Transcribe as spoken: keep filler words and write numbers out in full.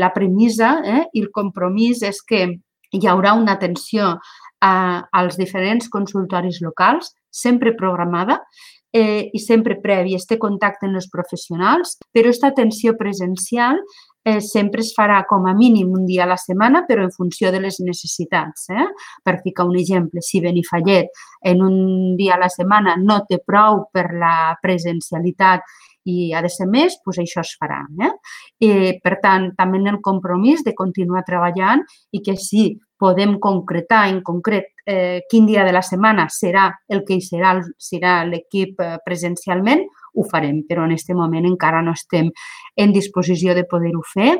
La premissa eh, i el compromís és que hi haurà una atenció a, als diferents consultoris locals, sempre programada, eh, i sempre previ este contacte amb els professionals, però aquesta atenció presencial eh, sempre es farà com a mínim un dia a la setmana, però en funció de les necessitats. Eh? Per ficar un exemple, si Benifallet en un dia a la setmana no té prou per la presencialitat i ha de ser més, doncs això es farà. Eh? I, per tant, també en el compromís de continuar treballant i que si podem concretar en concret eh, quin dia de la setmana serà el que hi serà, serà l'equip eh, presencialment, ho farem, però en aquest moment encara no estem en disposició de poder-ho fer